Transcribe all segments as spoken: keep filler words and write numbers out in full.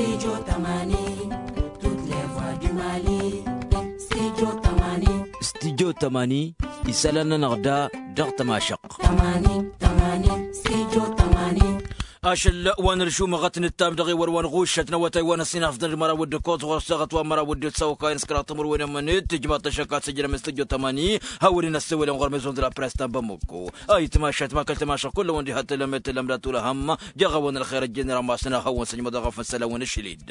Studio tămani. Studio tămani. Isălan-nănăɣ da dăɣ-tămašăɣt. Tămani tămani. Studio tămani. Ašăl wa n-ăršumăɣăt n-ǝttam dăɣ-ewăr wa n-ɣušăt n-awătay wa n-ăsinafdăn d-măraw d-ǝkkoẓ ɣur-săɣăt wa n-măraw d-ǝssawăkay n-s kăraḍ timǝrwen ămănet tǝjmaḍ-t ăššăk ad-sǝjrăm studio tămani. Hawăn-in-ăssewălăn ɣur-mezon d-la press ta n-bamăkko. Ayǝtmašat ma kăl-tămašăɣ kull-awăn diha tălămet tălămdat ulăhăm. Jeɣ-awăn ălxer ăjjeen rammas n-ad-hawăn-săjmăḍ ăɣăf n-isălan wa n-ašăl-dd.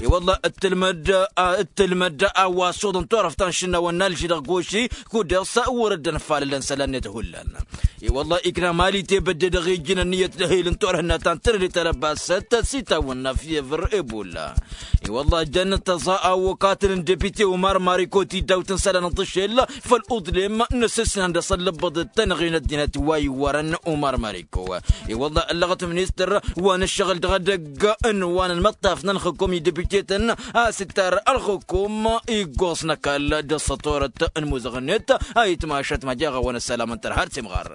I-wălla ǝttǝlmăd ǝttǝlmăd a-wa s-oḍăn turăft ta n-išǝnnawăn n-alži dăɣ-goši. Kud-dăɣ s-wăr-dd-ănfalălăn isălan-net hullan. I-wălla ikna mali tebădde dăɣ-ijjǝn ănniyăt d-ehel n-turhǝnna ta n-tărăde talăbasăt s-itawănna fievăr ebolla. I-wălla jăn tăẓa awăkatăn n-depite umar mariko tidawt n-isălan n-tǝšel făll-uḍlem n-asǝsnan d-asăllăbbăḍ d-tanăɣe n-ăddinăt wa iwwărăn umar mariko. I-wălla ăllăɣăt ministăr wa n-ǝššăɣǝl dăɣ-edăgg n-wa n-ălmăṭṭaf n-ălxǝkum i-depite-tăn a-s ittar ălxǝkum iggoẓ n-ăkall d-ăṣṣătorăt n-imuzăɣ-net. Ayǝtmašat ma jeɣ-awăn ăssalam n-tărha d-timɣar.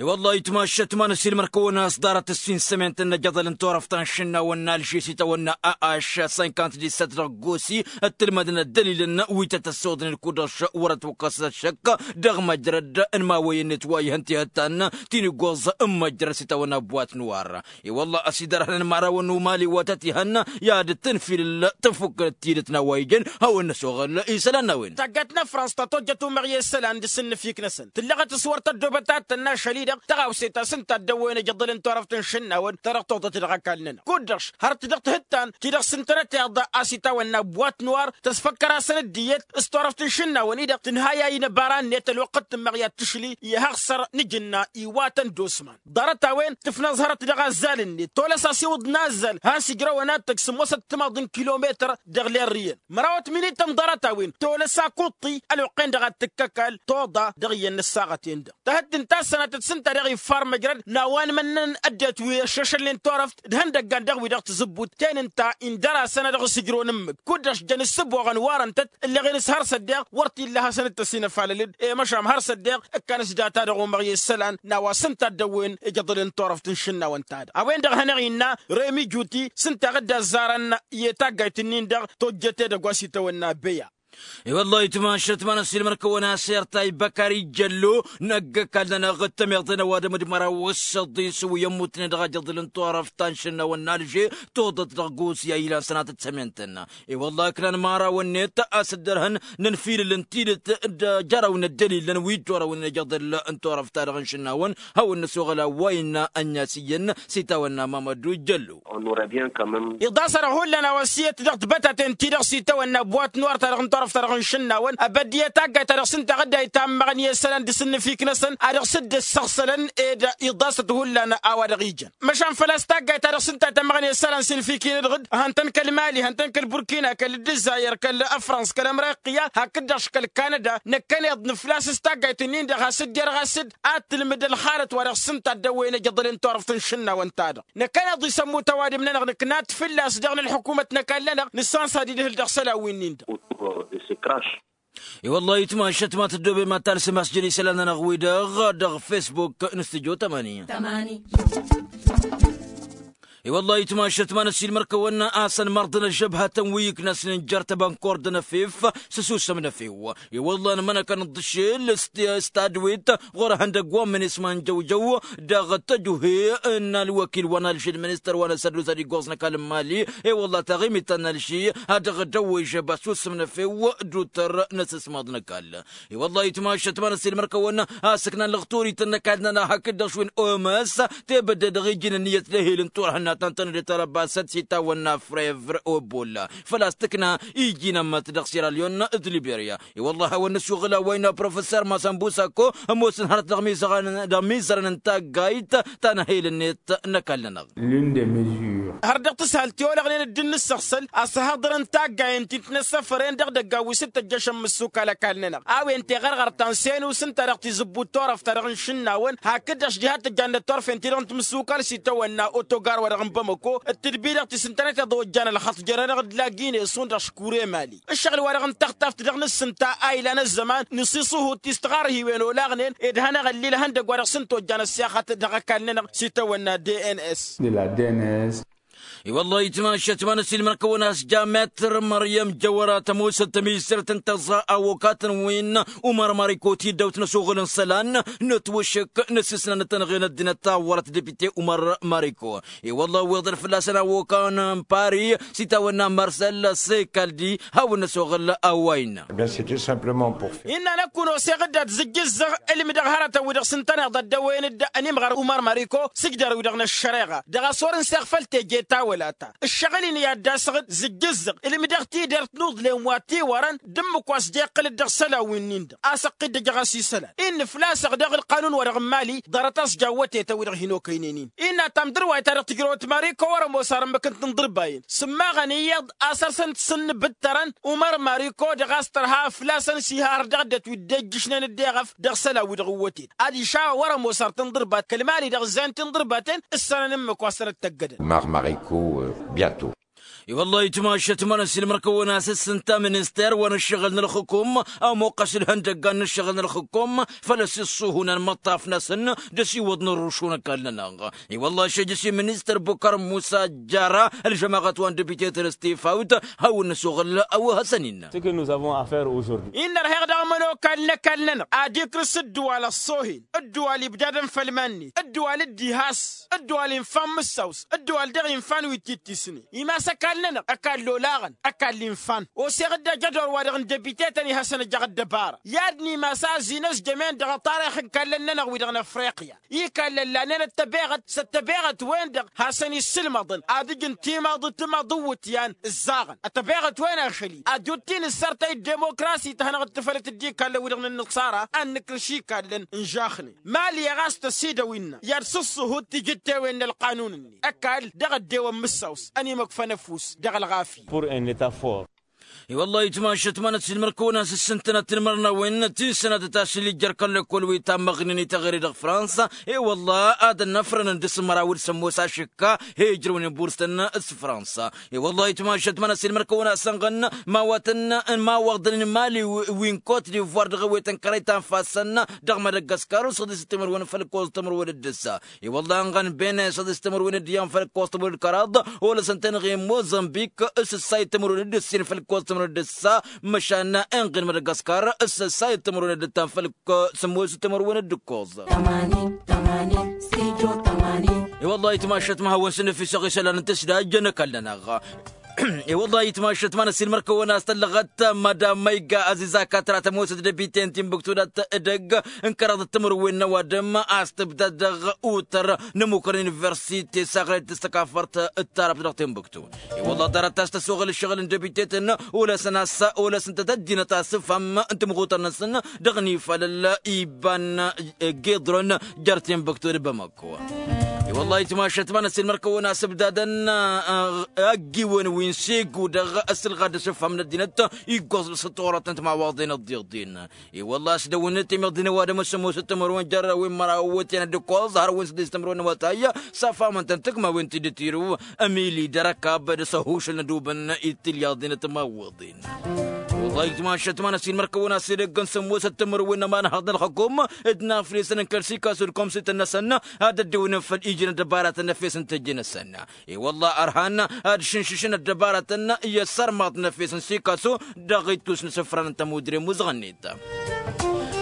I-wălla ayǝtmašat ma n-ăsiilmăr-kăwăn a-s ḍarăt ǝssin sămen-tăn n-ajăḍăl n-turăft ta n-išǝnnawăn n-alži s-itawănna a-aš cinquante-dix-sept dăɣ-gosi ăttǝlmădăn ăddălilăn wi tăt-ăssooḍnen kud-dăɣ wăr-ătwăkkăsăt ăššăk. Dăɣ-măjrăd n-imawăyăn-net wa ihăn tihăttan ti n-iggoẓ n-măjrăd s-itawănna boatnwar. I-wălla ăsidărhănăn imărawăn n-umali wa tăt-ihăn i-ad-tǝnfilǝl tăfukkănăt tidǝt n-a-wa ijăn. Hawăn-năsoɣăl isălan n-a-wen. Taggayt n-afrans ta tojjăt umăɣ i-isălan dăɣ-s ǝnnǝfik-năsăn tǝllăɣăt s-wăr tăddoobăt ad-tănna ašăl-i-dăɣ tăɣawse ta s-ǝnta a dd-ăwwăyăn ijăḍăl n-turăft n-išǝnnawăn ta dăɣ-toḍăt dăɣ-ăkall-nănăɣ. Kud-dăɣ har-t dăɣ-tihǝttan ti-dăɣ s-ǝntănăteḍ a-s itawănna boatnwar tăsfăkkăr-asăn dd-iyyăt s-turăft n-išǝnnawăn-i-dăɣ tǝnhayay n-ăbara-net ălwăqqăt tǝmmăɣ i-ad-tǝšli i-ihăɣsăr n-ijǝnna iwatăn d-osman. Ḍarăt-a-wen tǝfnăẓhărăt dăɣ-azzal-net tolăs a-s iwǝḍ n-azzal has-ǝjrăwăn ad-tăj sǝmmosăt timaḍ n-kilometăr dăɣ-lerriyăn. Mărawăt minităn ḍarăt-a-wen tolăs akuṭṭi ălwăqq-en-dăɣ ad-tǝkkăkal toḍa dăɣ-iyyăn n-ăssaɣăt-en-dăɣ. Tahǝddǝnt a-s sănatăt s-ǝnta dăɣ-iffar măjrăd n-a-wa n-imănnăn ăddinăt wi ăššăšălnen turăft d-ihăndăggan dăɣ-wi-dăɣ tǝzǝbbut ten ǝnta indăr-asăn ad-dăɣ-s ǝjrăwăn ǝmmǝk kud-dăɣ s-jăn ǝssǝboɣăn warăn-tăt. Ǝlleɣen s-har s-ăddeɣ wăr t-illa hasăn-dd-tăsinăfalăl-dd i-măšan har s-ăddeɣ ǝkkan s-data dăɣ-umăɣ i-isălan n-a-wa s-ǝnta a dd-ăwwen ijăḍăl n-turăft n-išǝnnawăn-ta-dăɣ a-wen-dăɣ a hanăɣ-innă remi juti s-ǝnta a dd-azzarăn i-taggayt-nin-dăɣ tojjet edăgg wa s-itawănna beya. I-wăllah itmašăt ma n-ăssiilmăr-kăwăn-asăr ta ibăkari jăllo năgg-ăkall-nănăɣ d-tămiḍe n-ăwadǝm d-măraw s-ăḍḍis wi ămmutnen dăɣ-ajăḍǝl n-turăft ta n-išǝnnawăn n-alže. Toḍăt dăɣ-gosya ilan sănatăt sămen-tăn. I-wăllah ǝknan mărawăn-net a-s dd-ărhăn n-ănfilǝl n-tidǝt d-jărăw n-ăddălilăn wi dd-orăwnen ajăḍǝl n-turăft-ta-dăɣ n-išǝnnawăn. Hawăn-năsoɣăl a-wa innă ănn-as iyyăn s-itawănna mamădu jăllo. Iḍas-a-dăɣ hullan a-wa s-iyyăt dăɣ-tibătaten-ti-dăɣ s-itawănna buwat n-wăr-ta-dăɣ n-turăft-ta-dăɣ n-išǝnnawăn ăbădd iyyăt taggayt-ta-dăɣ s-ǝnta a dd-ayǝtam măɣăn i-isălan d-asǝnnǝfik-năsăn a dăɣ-s dd-ăssăɣsălăn ed iḍasăt hullan a-wa dăɣ-ijăn. Măšan făl-a-s taggayt-ta-dăɣ s-ǝnta a tamăɣăn i-isălan s-inǝfikin-dăɣ-dd hăn-tăn kăl-mali hăn-tăn kăl-burkina kăl-dd-ǝzzayăr kăl-ăfrans kăl-ămriqya hakd-dăɣ-š kăl-kanăda. Năkkăneḍ nǝflas s-taggayt-nin-dăɣ has-dd-irɣas-dd ad-tǝlmǝd ălxalăt wa dăɣ-s ǝnta a dd-ăwwăyăn ijăḍălen turăft n-išǝnnawăn-ta-dăɣ. Năkkăneḍ isămmut ăwadǝm-nănăɣ nǝkna ad-t-fǝlla-s dăɣ-nǝlḥǝkumăt n-ăkall-nănăɣ nǝssansa d-idhǝl dăɣ-isălan wi-nin-dăɣ. Autour de ce crash. I-wăllah itmašăt ma tăddoobem ad-talsǝm a-s jăn isălan-nănăɣ-wi-dăɣ dăɣ-facebook n-studio tămani. I-wăllah itmašăt ma n-ăssiilmăr-kăwăn a-s ănmărḍăn ăžžăbhătăn wi iknăsnen jer-tăbănkor d-anăfef s-ăsusăm n-efew. I-wăllah ănmănăkăn dd-ašel s-tadwet ɣur-ehăndăgg wa n-minisma n-jăwjăw dăɣ-tăjuhe n-ălwăkil wa n-alžed ministăr wa n-asădus ad-iggoẓ n-ăkall n-mali. I-wăllah taɣimit ta n-alži ad-dăɣ-dăwwejăb ăsusăm n-efew d-utăr n-asǝsmaḍ n-ăkall. I-wăllah itmašăt ma n-ăssiilmăr-kăwăn a-s ǝknan lăɣturităn n-ăkall-nănăɣ hakd-dăɣ šwin oms tebădde dăɣ-iji n-ǝnniyăt d-ehel n-turhǝnna ta n-tănăde talăbasăt s-itawănna frevr obolla. Făl-a-s tǝkna iji n-ămmăt dăɣ-siralyon d-liberya. I-wăllah a-wa n-năsuɣǝl a-wa innă professor masănbusako ămoosăn hărăt dăɣ-imizărăn n-taggayt ta n-ehel-net n-ăkall-nănăɣ. L'une des mesures. Har dăɣ-tǝshalt i-olăɣnen dd-nǝssăɣsăl a-s ăhăḍărăn taggayen ti n-tinăssăfăren dăɣ-idăggan wi s-dd-tăjjăšăn mǝssukal ăkall-nănăɣ a-wen teɣărɣărt ta n-senus ǝnta dăɣ-tizǝbbut turăft-ta-dăɣ n-išǝnnawăn hakd-dăɣ š-diha tăjjannăt turfen-ti-dăɣ n-timǝssukal s-itawănna otogar wa dăɣ n-bamăko d-tǝdbi-dăɣ ti s-ǝntănăteḍ ojjan ălxaṭ jer-anăɣ-dd la gine-sun dăɣ-aškure mali. Ǝššăɣǝl-wa-dăɣ n-taɣtaft dăɣ-nǝssǝnta a ilan ăzzăman n-isiṣuhu d-tistăɣarhiwen olaɣnen ed hanăɣ-ăllil ihăndăgg wa dăɣ-s ǝnta ojjan ăssiixăt dăɣ-ăkall-nănăɣ s-itawănna d n s. I-wăllah itmašat ma n-ăsilmăn-kăwăn a-s jametr măryăm jăwăra tămoosăt tămizărt n-tăẓẓa awokatăn wi n-umăr mariko ti dd-awt n-ăsoɣăl n-isălan n-ătwăššăk n-ăsisnăn n-tănɣe n-ăddinăt ta wăr-t depite umăr mariko. I-wăllah wi iḍăr fălla-săn awokan n-pari s-itawănna mărsăl s-ekaldi hawăn-năsoɣăl a-wa innă. Innă n-ăkk wăn-oseɣ-dd ad-zǝjjǝzzăɣ ǝlmǝdăɣ hărătăn wi-dăɣ s-ǝntăneḍ ăddăwăyăn-dd ănimɣăr umăr mariko s-ǝjdăr-wi-dăɣ n-ăššăreɣa dăɣ-a-s wăr-ǝnseɣ făll-teje tawăla-ta. Ǝššăɣǝl-in i-ad-dd-asăɣ-dd zǝjjǝzzăɣ ǝlmǝdăɣ tidert n-uḍlem wa tiwărăn d-ǝmmǝk wa s-ja iqqǝl-dd dăɣ-isălan wi-nin-dăɣ a-s ăqqidăjăɣ-as isălan. Innă făl-a-s ăɣdeɣ ǝlqanun-wa-dăɣ n-mali ḍarăt-as jaw wătetăn-wi-dăɣ hin-okăynen-in. Innă tamdăr wa itarăɣ tǝjrăwăt mariko wăr-ămoos arǝmmǝk n-tinḍǝrbayăn sǝmmaɣăn iyyăḍ a-s ărsăn-t s-ǝnnǝbǝttărăn umăr mariko dăɣ-a-s tărha fălla-săn s-iha har dăɣ-ăddinăt wi dd-ejjǝšnen dd-eɣăf dăɣ-isălan wi-dăɣ n-wătet ad-išawăn wăr-ămoos ar tinḍǝrbat kăl-mali-dăɣ ǝzzayăn tinḍǝrbaten ǝssanăn ǝmmǝk wa s-tăn-ăttăggădăn. Măr mariko biento. I-wăllah itmašat ma n-ăsilmăn-kăwăn a-s ǝssǝnta minister wa n-ǝššăɣǝl n-ălxǝkum ămoqqăs ǝlhăndăggan n-ǝššăɣǝl n-ălxǝkum făl-ăsiṣṣuhun ălmăṭṭaf-năsăn d-ăsiwăḍ n-ărrušun ăkall-nănăɣ. I-wăllah ašăjjăs i-ministăr bukăr musa jara ălžămaɣăt wa n-dăbitetăn s-tifawt hawăn-năsoɣăl a-wa hasăn-innă. Ce que nous avons à faire aujourd'hui. Innă ărheɣ dăɣ-imănokan n-ăkall-nănăɣ ad-ikrǝs ǝddǝwal ăṣṣohen ǝddǝwal ibdadăn făll-iman-net ǝddǝwal dd-ihas ǝddǝwal infan mǝssaws ǝddǝwal dăɣ-infan wi t-ittisnen. Imas ăkall-nănăɣ ăkall olaɣăn ăkall infan oseɣ-dd ajădor-wa-dăɣ n-dăbitetăn ihăsăn ăjăɣ ăddăbara i-ad-nimas a ăzinăzjămen dăɣ-aṭarix n-ikallăn-nănăɣ wi-dăɣ n-afriqya. Ikallan lanen ăttăbeɣăt s-ăttăbeɣăt-wen-dăɣ hasăn-issǝlmăḍăn ad-ǝjǝn timaḍ timăḍ n-iwǝtyan ǝzzaɣăn ăttăbeɣăt-wen ašăl-i ad-dd-uttǝy n-ǝssărtăy dd-demokrasi tăhănăɣ-dd tǝfălăt dd-ikallăn wi-dăɣ n-ǝnnǝṣara ad-nǝkrǝš ikallăn n-žaxnen. Mali ɣas tăsidăw innă i-ad-sǝṣṣuhut tijǝttewen n-ălqanun-net ăkall dăɣ-ăddewăn mǝssaws ănimăkfăn ăfuss dăɣ-ălɣafyǝ. Pour un leta fort. I-wăllah itmašăt ma n-ăssiilmăr-kăwăn a-s ǝssǝntănăt timărnawen ti n-sănatăt ašăl ijjăr kăl-lăkkol wi tammăɣnen i-teɣăre dăɣ-fransa. I-wăllah ad-ănnăfrănăn d-asǝmraw d-sămmos ašǝkka he-ijrăwnen burstăn s-fransa. I-wăllah itmašăt ma n-ăssiilmăr-kăwăn a-s ănɣăn mawatăn n-imawăḍăn n-mali wi n-kot divoir dăɣ-ewetăn kărăy ta n-ifassăn dăɣ-madagaskar usăḍis timărwen făll-kos timărwen d-ǝssa. I-wăllah ănɣăn bene săḍis timărwen d-iyyăn făll-kos timărwen d-kăraḍ olăsăn tenɣe n-mozănbik s-ǝssayăt timărwen d-ǝssin făll-kos timărwen d-ǝssa. Măšan inɣen madagaskar s-ǝssayăt timărwen d-ǝttan făll-sămmos timărwen d-ǝkkoẓ. I-wăllah itmašăt ma hawăn s-nǝfisăɣ isălan n-tǝsdajjăn ăkall-nănăɣ. I-wăllah itmašăt ma n-ăssiilmăr-kăwăn a-s tăllăɣăt madam măyga ăzizaka tăra tămoosăt dăbiten timbuktu dat-edăgg n-kăraḍăt timǝrwen n-ăwadǝm a-s tǝbdad dăɣ-utăr n-ămukăr n-universite s-aɣlăy d-tăstăkafărt d-tarăbt dăɣ-timbuktu. I-wăllah ḍarăt a-s tăsoɣăl ǝššăɣǝl n-dăbiteten olăsăn a-s olăsăn tăt-ăddinăt asǝfham n-timɣutăr-năsăn dăɣ-inifalăl iba n-giḍrăn jer-timbuktu d-bamăk. I-wăllah itmašăt ma n-ăssiilmăr-kăwăn a-s ǝbdadăn ăggiwen wi n-segu dăɣ-ăssilɣad d-asǝfham n-ăddinăt iggoẓ s-ăṭṭorăt n-timawaḍen ăḍḍiḍen. I-wăllah a-s dăw-net imiḍ d-inăwadăm s-ămoosăt timărwen jer-wi n-măraw ăwwătyan d-ǝkkoẓ hărăwăn s-dd-s timărwen n-awătay safamăn-tăn tǝkmawen ti dd-tirǝw ămili d-arăkab d-asăhušăl n-adubăn i-tilyaḍen timawăḍen. Wăllah itmašăt ma n-ăssiilmăr-kăwăn a-s edăgg n-sămoosăt timărwen n-ămanhăḍ n-ălxăkum d-inaflesăn n-kăl-sikasu d-komsităn-năsăn ad-ăddewnen făll-iji n-ăddăbaratăn n-efes n-tejje-năsăn. I-wăllah ărhan ad-šǝnšǝšăn ăddăbaratăn i-ăssărmaḍ n-efes n-sikasu dăɣ-ittus n-isǝfran n-tămudre n-muzăɣ-net.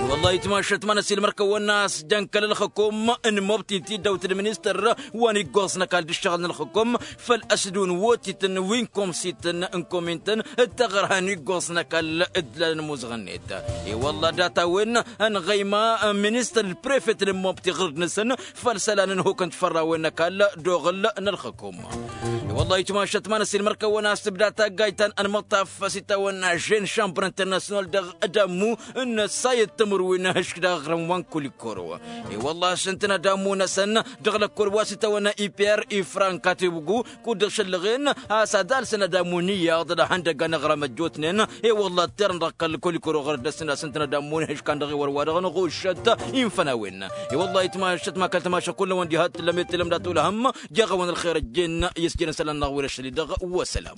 I-wăllah itmašăt ma n-ăssiilmăr-kăwăn a-s jăn kăl-ălxǝkum n-mobti ti dd-awt d-ministăr wa n-iggoẓ n-ăkall d-ǝššăɣǝl n-ălxǝkum făl-ăsdǝw n-wotităn wi n-komsităn n-komin-tăn d-taɣărha n-iggoẓ n-ăkall d-lalăn muzăɣ-net. I-wăllah data-wen ănɣăyma ministăr d-prefet n-mobti ɣǝrǝd-năsăn făll-isălan n-hukăn d-fărrawen n-ăkall d-oɣǝl n-ălxǝkum. I-wăllah itmašăt ma n-ăssiilmăr-kăwăn a-s tǝbda taggayt ta n-ălmăṭṭaf s-itawănna žen šambăr internasyonal dăɣ-dămmu n-ăssayăt timǝrwen. wi n-ehǝšk daɣ ɣrǝm wa n-kulikoro. I-wălla a-s ǝntăneḍ amun-năsăn dăɣ-lăkkol wa s-itawănna i-per ifranka tibǝgu kud-dăɣ šăllăɣen a-s ad-alsăn ad-amun iyyăḍ d-ahăndăgg a n-aɣrăm ăjjootnen. I-wălla ăttărăn dăɣ-kăl-kulikoro ɣur-dăɣ-săn a-s ǝntăneḍ amun ehǝšk a n-dăɣ-iwăr wa-dăɣ n-ɣuššăt. Infănawen i-wălla itmašăt ma kăl-tamaša kull-năwăn diha t-tǝllăm i-t-tǝllăm dat-olăhăm. Jeɣ-awăn ălxer ăjjeen i-s jere n-isălan-năɣ wi n-ašăl-i-dăɣ. Wăsălam.